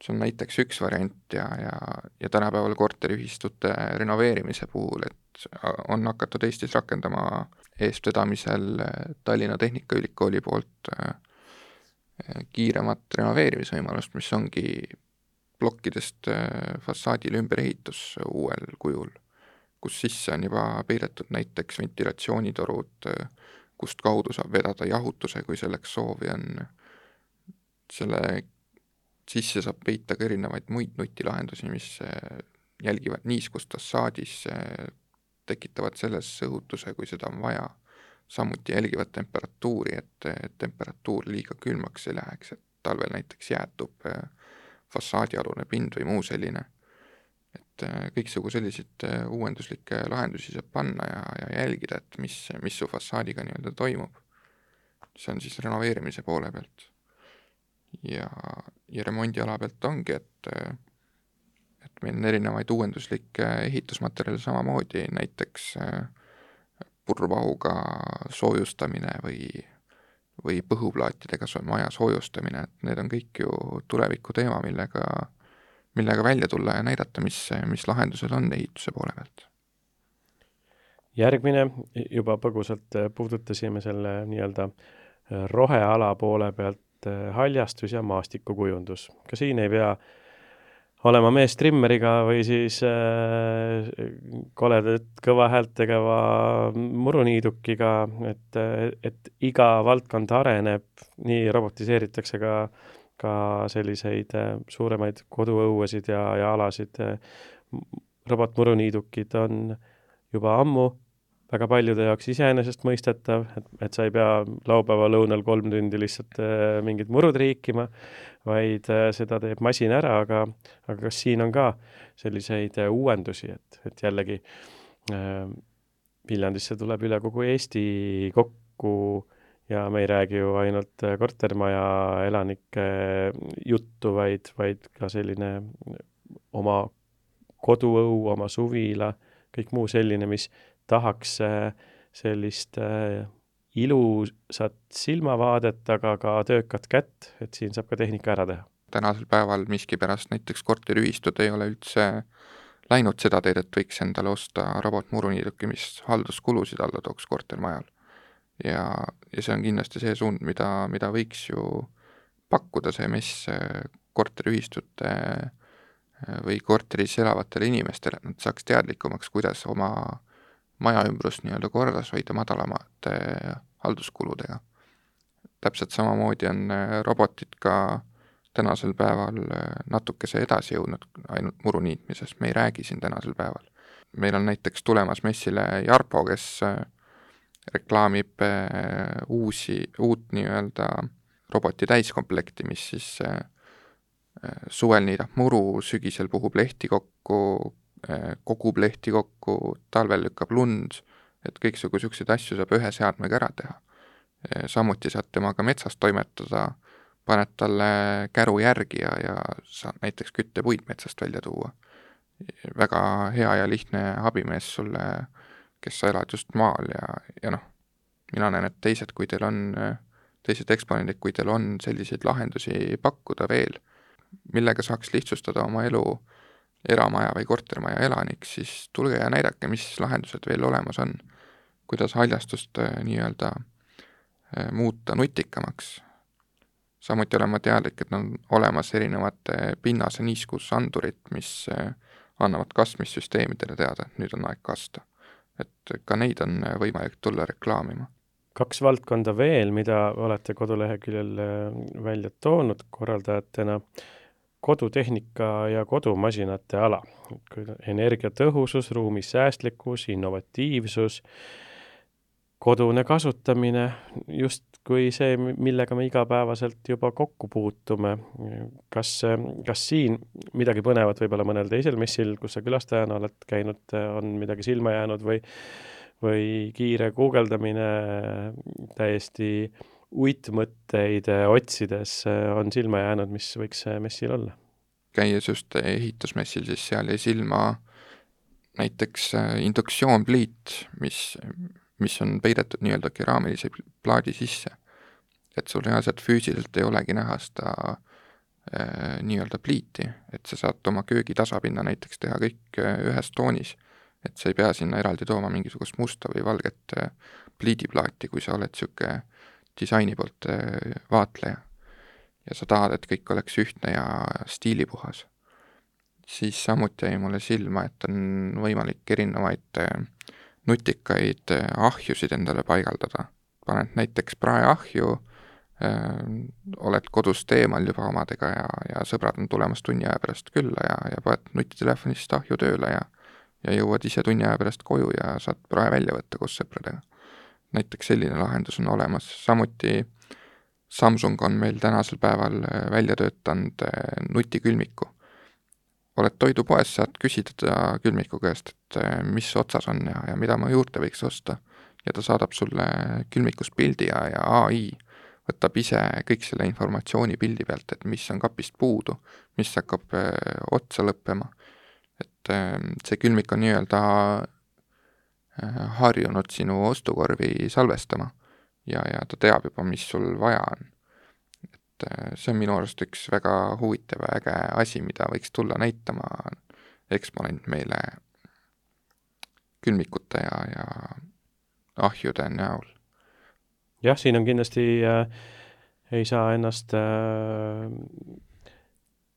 See on näiteks üks variant ja, ja, ja tänapäeval korteriühistute renoveerimise puhul, et on hakatud Eestis rakendama eestvedamisel Tallinna Tehnikaülikooli poolt kiiremat renoveerimisvõimalust, mis ongi plokkidest fassaadile ümberehitus uuel kujul, kus sisse on juba peidetud näiteks ventilatsioonitorud, kust kaudu saab vedada jahutuse, kui selleks soovi on. Selle sisse saab peita ka erinevaid muid nutilahendusi, mis jälgivad niiskust fassaadis, tekitavad selles õhutuse, kui seda on vaja. Samuti jälgivad temperatuuri, et temperatuur liiga külmaks ei läheks, et talvel näiteks jäätub fassaadialune pind või muu selline. Et kõiksugu selliseid uuenduslikke lahendusi saab panna ja, ja jälgida, et mis, mis su fassaadiga nii-öelda toimub. See on siis renoveerimise poole pealt. Ja, ja remondiala pealt ongi, et, et meil on erinevaid uuenduslikke ehitusmaterjale samamoodi, näiteks purvahuga soojustamine või, või põhuplaatidega maja soojustamine, et need on kõik ju tuleviku teema, millega, millega välja tulla ja näidata, mis, mis lahendused on ehituse poole pealt. Järgmine, juba põgusalt puudutasime selle nii-öelda roheala poole pealt haljastus ja maastikukujundus. Ka siin ei pea olema mees trimmeriga või siis äh, koledat kõva häält tegeva muruniidukiga, et, et iga valdkond areneb, nii robotiseeritakse ka, ka selliseid suuremaid koduõuesid ja, ja alasid. Robotmuruniidukid on juba ammu väga paljude jaoks iseenesest mõistetav, et, et sa ei pea laupäeva lõunal kolm tundi lihtsalt äh, mingid murud riikima, vaid äh, seda teeb masin ära, aga, aga kas siin on ka selliseid äh, uuendusi, et, et jällegi äh, Viljandisse tuleb üle kogu Eesti kokku ja me ei räägi ju ainult äh, kortermaja elanike juttu, vaid, vaid ka selline oma koduõu, oma suvila, kõik muu selline, mis tahaks äh, sellist äh, ilusat silmavaadet, aga ka töökat kätt, et siin saab ka tehnika ära teha. Tänasel päeval miskipärast näiteks korteriühistud ei ole üldse läinud seda teed, et võiks endale osta robotmuruniiduki, mis halduskulusid alla tooks kortermajal. Ja, ja see on kindlasti see suund, mida, mida võiks ju pakkuda see mess korteriühistute või korteris elavatele inimestele, et nad saaks teadlikumaks, kuidas oma maja ümbrust nii-öelda kordas hoida madalamate halduskuludega. Täpselt samamoodi on robotid ka tänasel päeval natukese edasi jõudnud ainult muru niitmises, me ei räägi siin tänasel päeval. Meil on näiteks tulemas messile Jarpo, kes reklaamib uusi, uut nii-öelda roboti täiskomplekti, mis siis suvel niidab muru, sügisel puhub lehti kokku, kogub lehti kokku, talvel lükkab lund, et kõiksugu selliseid asju saab ühe seadmega ära teha. Samuti saad temaga metsas toimetada, paned talle käru järgi ja, ja saad näiteks küttepuid metsast välja tuua. Väga hea ja lihtne abimees sulle, kes sa elad just maal ja, ja noh, mina näen, et teised, kui teil on, teised eksponendid, kui teil on selliseid lahendusi pakkuda veel, millega saaks lihtsustada oma elu eramaja või kortermaja elanik, siis tulge ja näidake, mis lahendused veel olemas on, kuidas haljastust nii-öelda muuta nutikamaks. Samuti olen ma teadlik, et on olemas erinevate pinnase niiskusandurid, mis annavad kastmissüsteemidele teada, et nüüd on aeg kasta. Et ka neid on võimalik tulla reklaamima. Kaks valdkonda veel, mida olete koduleheküljel välja toonud korraldajatena, kodutehnika ja kodumasinate ala. Energiatõhusus, ruumisäästlikkus, innovatiivsus, kodune kasutamine, just kui see, millega me igapäevaselt juba kokku puutume. Kas, kas siin midagi põnevat võib-olla mõnel teisel messil, kus sa külastajana oled käinud, on midagi silma jäänud või, või kiire guugeldamine täiesti uitmõtteid otsides on silma jäänud, mis võiks messil olla? Käies just ehitusmessil, siis seal jäi silma näiteks induktsioonpliit, mis, mis on peidetud nii-öelda keraamilise plaadi sisse. Et sul reaalselt füüsiliselt ei olegi näha seda äh, nii-öelda pliiti, et sa saad oma köögi tasapinna näiteks teha kõik ühes toonis, et sa ei pea sinna eraldi tooma mingisugust musta või valget äh, pliidiplaati, kui sa oled siuke disaini poolt äh, vaatleja ja sa tahad, et kõik oleks ühtne ja stiilipuhas. Siis samuti jäi mulle silma, et on võimalik erinevaid nutikaid ahjusid endale paigaldada. Paned näiteks praeahju, äh, oled kodust eemal juba omadega ja, ja sõbrad on tulemas tunni aja pärast külla ja, ja paned nutitelefonist ahju tööle ja, ja jõuad ise tunni aja pärast koju ja saad prae välja võtta koos sõpradega. Näiteks selline lahendus on olemas. Samuti Samsung on meil tänasel päeval välja töötanud nutikülmiku. Oled toidupoes, saad küsida külmiku käest, et mis otsas on ja, ja mida ma juurde võiks osta. Ja ta saadab sulle külmikus pildi ja, ja A I võtab ise kõik selle informatsiooni pildi pealt, et mis on kapist puudu, mis hakkab otsa lõppema. Et see külmik on nii-öelda harjunud sinu ostukorvi salvestama. Ja, ja ta teab juba, mis sul vaja on. Et see on minu arust üks väga huvitav ja äge asi, mida võiks tulla näitama eksponent meile külmikute ja, ja ahjude näol. Jah, siin on kindlasti äh, ei saa ennast äh,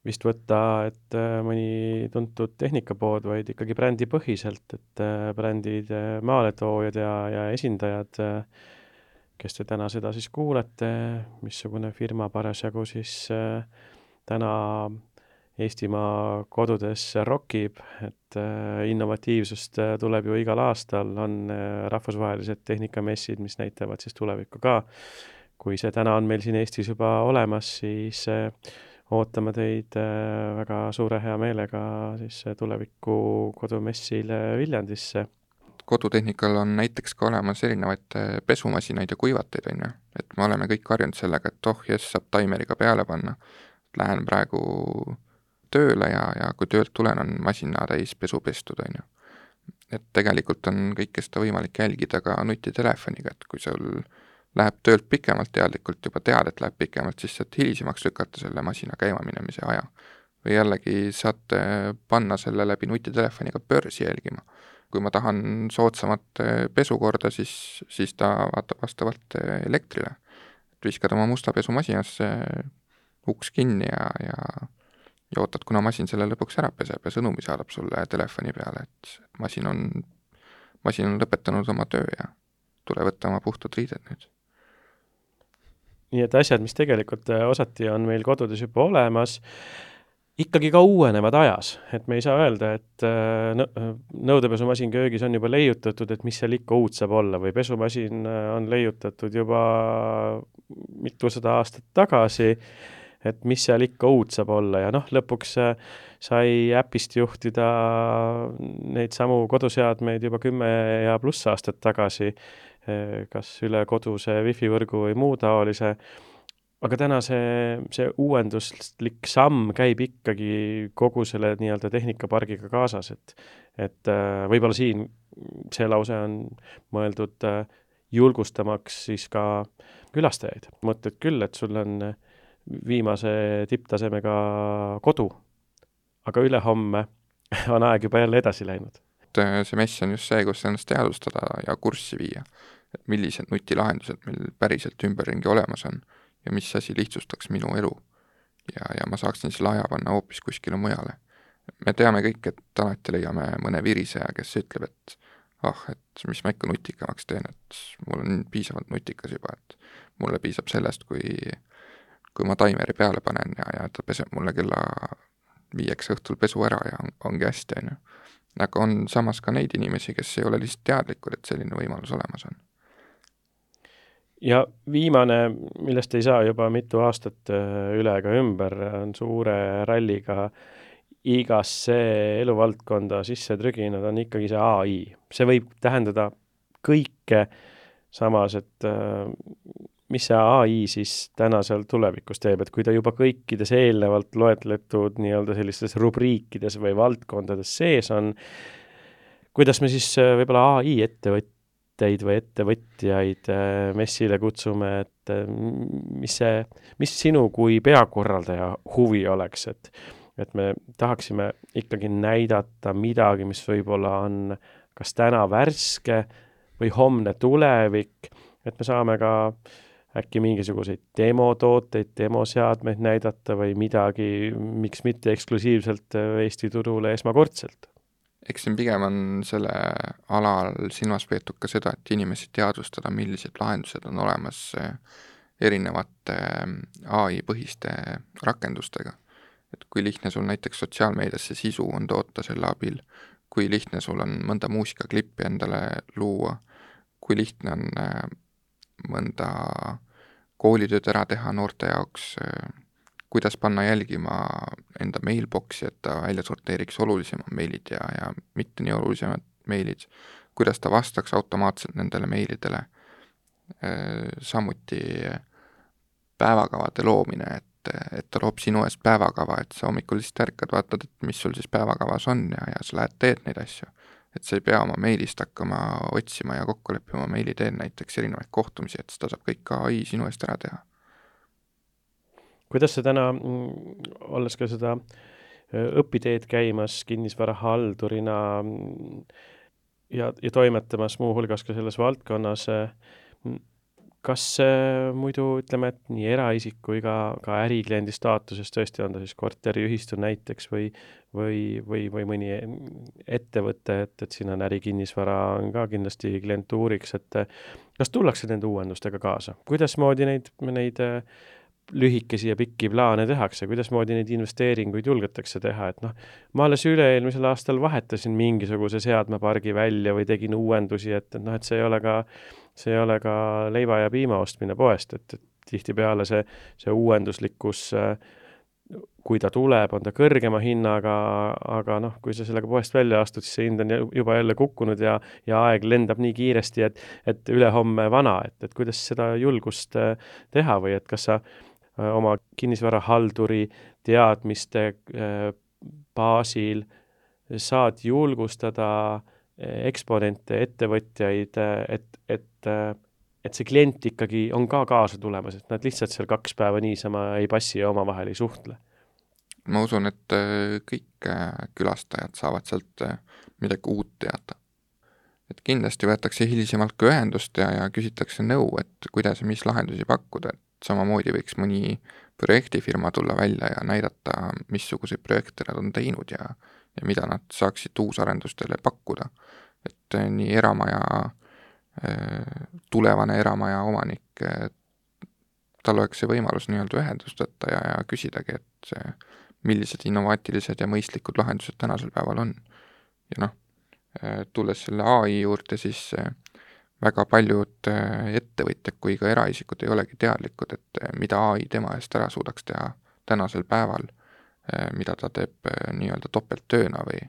vist võtta, et äh, mõni tuntud tehnikapood, vaid ikkagi brändipõhiselt, et äh, brändid äh, maaletoojad ja, ja esindajad äh, kes te täna seda siis kuulete, missugune firma parasjagu siis äh, täna Eestimaa kodudes rokib, et innovatiivsust tuleb ju igal aastal, on rahvusvahelised tehnikamessid, mis näitavad siis tulevikku ka. Kui see täna on meil siin Eestis juba olemas, siis ootame teid väga suure hea meelega siis tuleviku kodumessile Viljandisse. Kodutehnikal on näiteks ka olemas erinevaid pesumasinaid ja kuivateid, on ju. Et me oleme kõik harjunud sellega, et oh jess, saab taimeriga peale panna. Lähen praegu tööle ja, ja kui töölt tulen, on masina täis pesu pestud, on ju. Et tegelikult on kõike seda võimalik jälgida ka nutitelefoniga, et kui sul läheb töölt pikemalt teadlikult, juba tead, et läheb pikemalt, siis saad hilisemaks lükata selle masina käima minemise aja. Või jällegi saad panna selle läbi nutitelefoniga börsi jälgima. Kui ma tahan soodsamat pesukorda, siis, siis ta vaatab vastavalt elektrile. Et viskad oma musta pesumasinasse uks kinni ja, ja, ja ootad, kuna masin selle lõpuks ära peseb ja sõnumi saadab sulle telefoni peale, et masin on, masin on lõpetanud oma töö ja tule võtta oma puhtad riided nüüd. Nii et asjad, mis tegelikult osati on meil kodudes juba olemas, ikkagi ka uuenevad ajas, et me ei saa öelda, et nõudepesumasin köögis on juba leiutatud, et mis seal ikka uut saab olla, või pesumasin on leiutatud juba mitusada aastat tagasi, et mis seal ikka uut saab olla ja noh, lõpuks sai äpist juhtida neid samu koduseadmeid juba kümme ja pluss aastat tagasi, kas üle koduse wifi-võrgu või muu taolise. Aga täna see, see uuenduslik samm käib ikkagi kogu selle nii-öelda tehnikapargiga kaasas, et, et võib-olla siin see lause on mõeldud julgustamaks siis ka külastajaid. Mõtled küll, et sul on viimase tipptasemega kodu, aga ülehomme on aeg juba jälle edasi läinud. See mess on just see, kus ennast teadvustada ja kurssi viia, et millised nutilahendused meil päriselt ümberringi olemas on ja mis asi lihtsustaks minu elu. Ja, ja ma saaksin selle aja panna hoopis kuskile mujale. Me teame kõik, et alati leiame mõne viriseja, kes ütleb, et ah, et mis ma ikka nutikamaks teen, et mul on piisavalt nutikas juba, et mulle piisab sellest, kui, kui ma taimeri peale panen ja, ja ta peseb mulle kella viieks õhtul pesu ära ja on, ongi hästi, on ju. Aga on samas ka neid inimesi, kes ei ole lihtsalt teadlikud, et selline võimalus olemas on. Ja viimane, millest ei saa juba mitu aastat üle ega ümber, on suure ralliga igasse eluvaldkonda sisse trüginud, on ikkagi see A I. See võib tähendada kõike samas, et mis see A I siis täna seal tulevikus teeb, et kui ta juba kõikides eelnevalt loetletud nii-öelda sellistes rubriikides või valdkondades sees on, kuidas me siis võib-olla A I ettevõtteid või ettevõtjaid messile kutsume, et mis see, mis sinu kui peakorraldaja huvi oleks, et, et me tahaksime ikkagi näidata midagi, mis võib-olla on kas täna värske või homne tulevik, et me saame ka äkki mingisuguseid demotooteid, demoseadmeid näidata või midagi, miks mitte eksklusiivselt Eesti turule esmakordselt. Eks siin pigem on selle alal silmas peetud ka seda, et inimesi teadvustada, millised lahendused on olemas erinevate A I-põhiste rakendustega. Et kui lihtne sul näiteks sotsiaalmeediasse sisu on toota selle abil, kui lihtne sul on mõnda muusikaklippi endale luua, kui lihtne on mõnda koolitööd ära teha noorte jaoks, kuidas panna jälgima enda mailboxi, et ta välja sorteeriks olulisemad meilid ja, ja mitte nii olulisemad meilid, kuidas ta vastaks automaatselt nendele meilidele. Samuti päevakavade loomine, et, et ta loob sinu eest päevakava, et sa hommikul lihtsalt ärkad, vaatad, et mis sul siis päevakavas on ja, ja sa lähed teed neid asju. Et sa ei pea oma meilist hakkama otsima ja kokku leppima meili teen näiteks erinevaid kohtumisi, et seda saab kõik A I sinu eest ära teha. Kuidas see täna, olles ka seda õpiteed käimas kinnisvara haldurina ja, ja toimetamas muu hulgas ka selles valdkonnas, kas muidu ütleme, et nii eraisik kui ka, ka ärikliendi staatuses tõesti on ta siis korteriühistu näiteks või, või, või, või mõni ettevõte, et, et siin on ärikinnisvara on ka kindlasti klientuuriks, et kas tullakse nende uuendustega kaasa? Kuidas moodi neid, neid lühikesi ja pikki plaane tehakse, kuidas moodi neid investeeringuid julgetakse teha, et noh, ma alles üle-eelmisel aastal vahetasin mingisuguse seadmepargi välja või tegin uuendusi, et, et noh, et see ei ole ka, see ei ole ka leiva ja piima ostmine poest, et, et tihtipeale see, see uuenduslikkus, kui ta tuleb, on ta kõrgema hinnaga, aga noh, kui sa sellega poest välja astud, siis see hind on juba jälle kukkunud ja, ja aeg lendab nii kiiresti, et, et ülehomme vana, et, et kuidas seda julgust teha või et kas sa oma kinnisvarahalduri teadmiste baasil saad julgustada eksponente, ettevõtjaid, et, et et see klient ikkagi on ka kaasa tulemas, et nad lihtsalt seal kaks päeva niisama ei passi ja omavahel ei suhtle. Ma usun, et kõik külastajad saavad sealt midagi uut teada. Et kindlasti võetakse hilisemalt ka ühendust ja, ja küsitakse nõu, et kuidas ja mis lahendusi pakkuda, et samamoodi võiks mõni projektifirma tulla välja ja näidata, missuguseid projekte nad on teinud ja, ja mida nad saaksid uusarendustele pakkuda. Et nii eramaja tulevane eramaja omanik, tal oleks see võimalus nii-öelda ühendust võtta ja, ja küsidagi, et see, millised innovaatilised ja mõistlikud lahendused tänasel päeval on. Ja noh, tulles selle A I juurde, siis väga paljud ettevõtjad kui ka eraisikud ei olegi teadlikud, et mida A I tema eest ära suudaks teha tänasel päeval, mida ta teeb nii-öelda topelttööna või,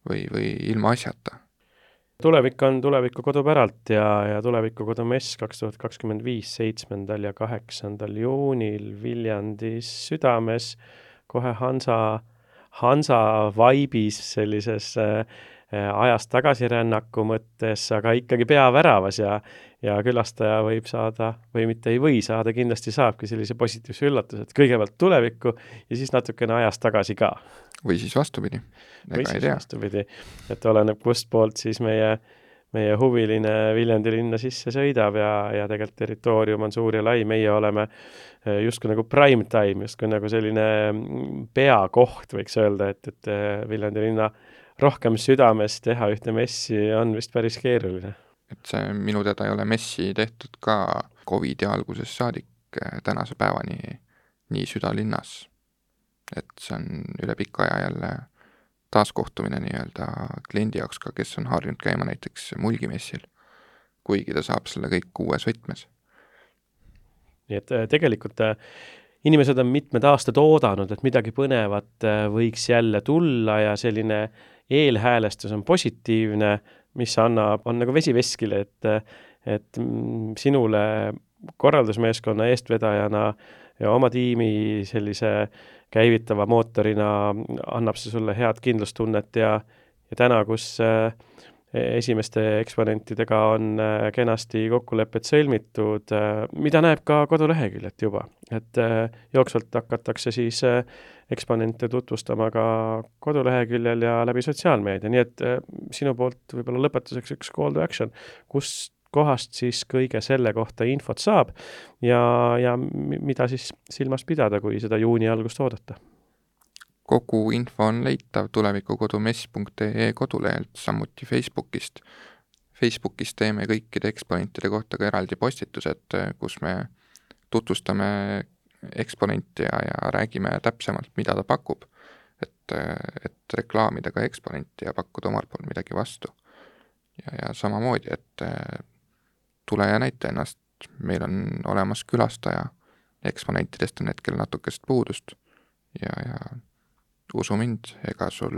või, või ilma asjata. Tulevik on tuleviku kodupäralt ja, ja tuleviku kodumess kaks tuhat kakskümmend viis seitsmendal ja kaheksandal juunil Viljandis südames, kohe Hansa, Hansa vaibis sellises äh, ajast tagasirännaku mõttes, aga ikkagi peaväravas ja, ja külastaja võib saada, või mitte ei või saada, kindlasti saabki sellise positiivse üllatuse, et kõigepealt tulevikku ja siis natukene ajast tagasi ka. Või siis vastupidi. Või siis vastupidi, et oleneb kust poolt siis meie, meie huviline Viljandi linna sisse sõidab ja, ja tegelikult territoorium on suur ja lai, meie oleme justkui nagu prime time, justkui nagu selline peakoht võiks öelda, et, et Viljandi linna rohkem südames teha ühte messi on vist päris keeruline. Et see minu teada ei ole messi tehtud ka Covidi alguses saadik tänase päevani nii südalinnas. Et see on üle pika aja jälle taaskohtumine nii-öelda kliendi jaoks ka, kes on harjunud käima näiteks mulgimessil, kuigi ta saab selle kõik uues võtmes. Nii et tegelikult inimesed on mitmed aastad oodanud, et midagi põnevat võiks jälle tulla ja selline eelhäälestus on positiivne, mis annab, on nagu vesi veskile, et, et sinule korraldusmeeskonna eestvedajana ja oma tiimi sellise käivitava mootorina annab see sulle head kindlustunnet ja, ja täna, kus esimeste eksponentidega on kenasti kokkulepped sõlmitud, mida näeb ka koduleheküljelt juba, et jooksvalt hakatakse siis eksponente tutvustama ka koduleheküljel ja läbi sotsiaalmeedia, nii et sinu poolt võib-olla lõpetuseks üks call to action, kus kohast siis kõige selle kohta infot saab ja, ja mida siis silmas pidada, kui seda juuni algust oodata? Kogu info on leitav tulevikukodumess punkt ee kodulehelt, samuti Facebookist. Facebookis teeme kõikide eksponentide kohta ka eraldi postitused, kus me tutvustame eksponenti ja, ja räägime täpsemalt, mida ta pakub, et, et reklaamida ka eksponenti ja pakkuda omalt poolt midagi vastu. Ja, ja samamoodi, et tule ja näita ennast, meil on olemas külastaja, eksponentidest on hetkel natukest puudust ja, ja usu mind, ega sul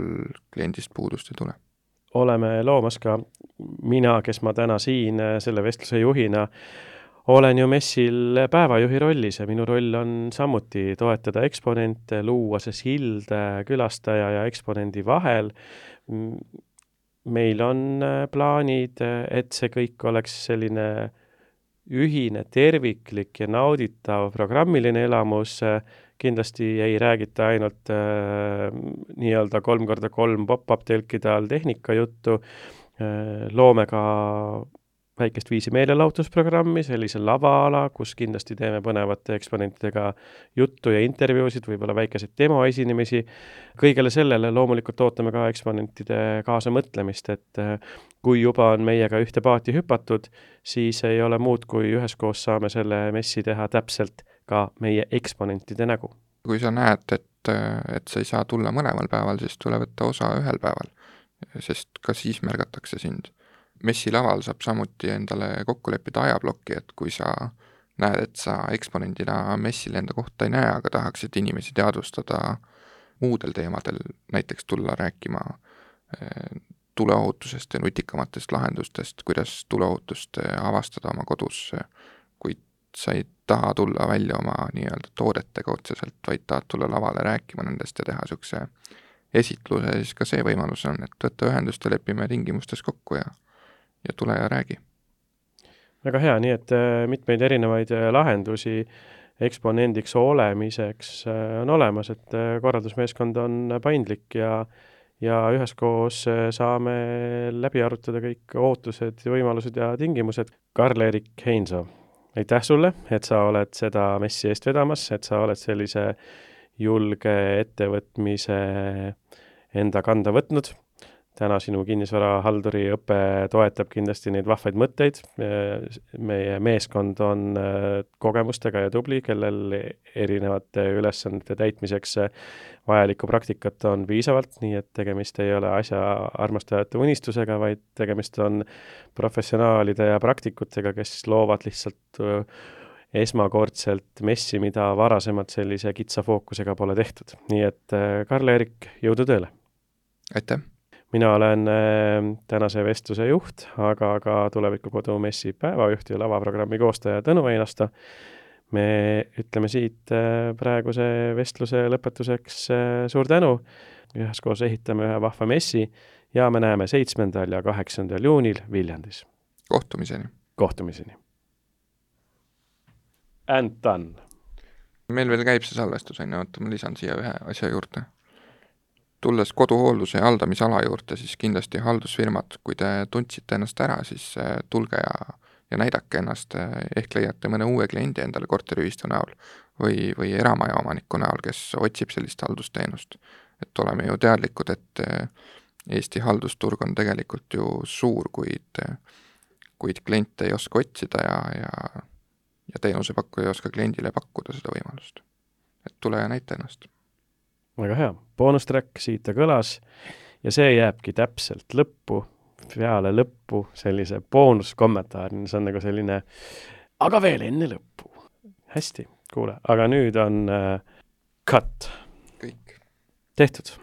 kliendist puudust ei tule. Oleme loomas ka mina, kes ma täna siin selle vestluse juhina, olen ju messil päevajuhi rollis ja minu roll on samuti toetada eksponente, luua see sild külastaja ja eksponendi vahel. Meil on plaanid, et see kõik oleks selline ühine, terviklik ja nauditav programmiline elamus. Kindlasti ei räägita ainult äh, nii-öelda kolm korda kolm pop-up telkide all tehnika juttu. Äh, loome ka väikest viisi meelelahutusprogrammi, sellise lavaala, kus kindlasti teeme põnevate eksponentidega juttu ja intervjuusid, võib-olla väikeseid demoesinemisi. Kõigele sellele loomulikult ootame ka eksponentide kaasamõtlemist, et kui juba on meiega ühte paati hüpatud, siis ei ole muud, kui üheskoos saame selle messi teha täpselt ka meie eksponentide nägu. Kui sa näed, et, et sa ei saa tulla mõlemal päeval, siis tule võtta osa ühel päeval, sest ka siis märgatakse sind. Messilaval saab samuti endale kokku leppida ajablokki, et kui sa näed, et sa eksponendina messil enda kohta ei näe, aga tahaksid inimesi teadvustada muudel teemadel, näiteks tulla rääkima tuleohutusest ja nutikamatest lahendustest, kuidas tuleohutust avastada oma kodus, kuid sa ei taha tulla välja oma nii-öelda toodetega otseselt, vaid tahad tulla lavale rääkima nendest ja teha niisuguse esitluse, siis ka see võimalus on, et võtta ühendust ja lepime tingimustes kokku ja, ja tule ja räägi. Väga hea, nii et mitmeid erinevaid lahendusi eksponendiks olemiseks on olemas, et korraldusmeeskond on paindlik ja ja üheskoos saame läbi arutada kõik ootused, võimalused ja tingimused. Karl-Erik Heinso, aitäh sulle, et sa oled seda messi eest vedamas, et sa oled sellise julge ettevõtmise enda kanda võtnud. Täna sinu kinnisvarahalduri õpe toetab kindlasti neid vahvaid mõtteid. Meie meeskond on kogemustega ja tubli, kellel erinevate ülesannete täitmiseks vajalikku praktikat on piisavalt, nii et tegemist ei ole asja armastajate unistusega, vaid tegemist on professionaalide ja praktikutega, kes loovad lihtsalt esmakordselt messi, mida varasemalt sellise kitsa fookusega pole tehtud. Nii et Karl-Erik, jõudu tööle! Aitäh! Mina olen tänase vestluse juht, aga ka Tulevikukodu messi päevajuht ja lavaprogrammi koostaja Tõnu Einasto. Me ütleme siit praeguse vestluse lõpetuseks suur tänu. Üheskoos ehitame ühe vahva messi ja me näeme seitsmendal ja kaheksandal juunil Viljandis. Kohtumiseni. Kohtumiseni. And done. Meil veel käib see salvestus, on ju, oota, ma lisan siia ühe asja juurde. Tulles koduhoolduse ja haldamisala juurde, siis kindlasti haldusfirmad, kui te tundsite ennast ära, siis tulge ja, ja näidake ennast, ehk leiate mõne uue kliendi endale korteriühistu näol või, või eramaja omaniku näol, kes otsib sellist haldusteenust. Et oleme ju teadlikud, et Eesti haldusturg on tegelikult ju suur, kuid, kuid kliente ei oska otsida ja, ja, ja teenusepakkuja ei oska kliendile pakkuda seda võimalust. Et tule ja näita ennast. Väga hea. Boonustrack siit kõlas ja see jääbki täpselt lõppu, peale lõppu sellise boonuskommentaari, see on nagu selline, aga veel enne lõppu. Hästi, kuule, aga nüüd on uh, cut. Kõik. Tehtud.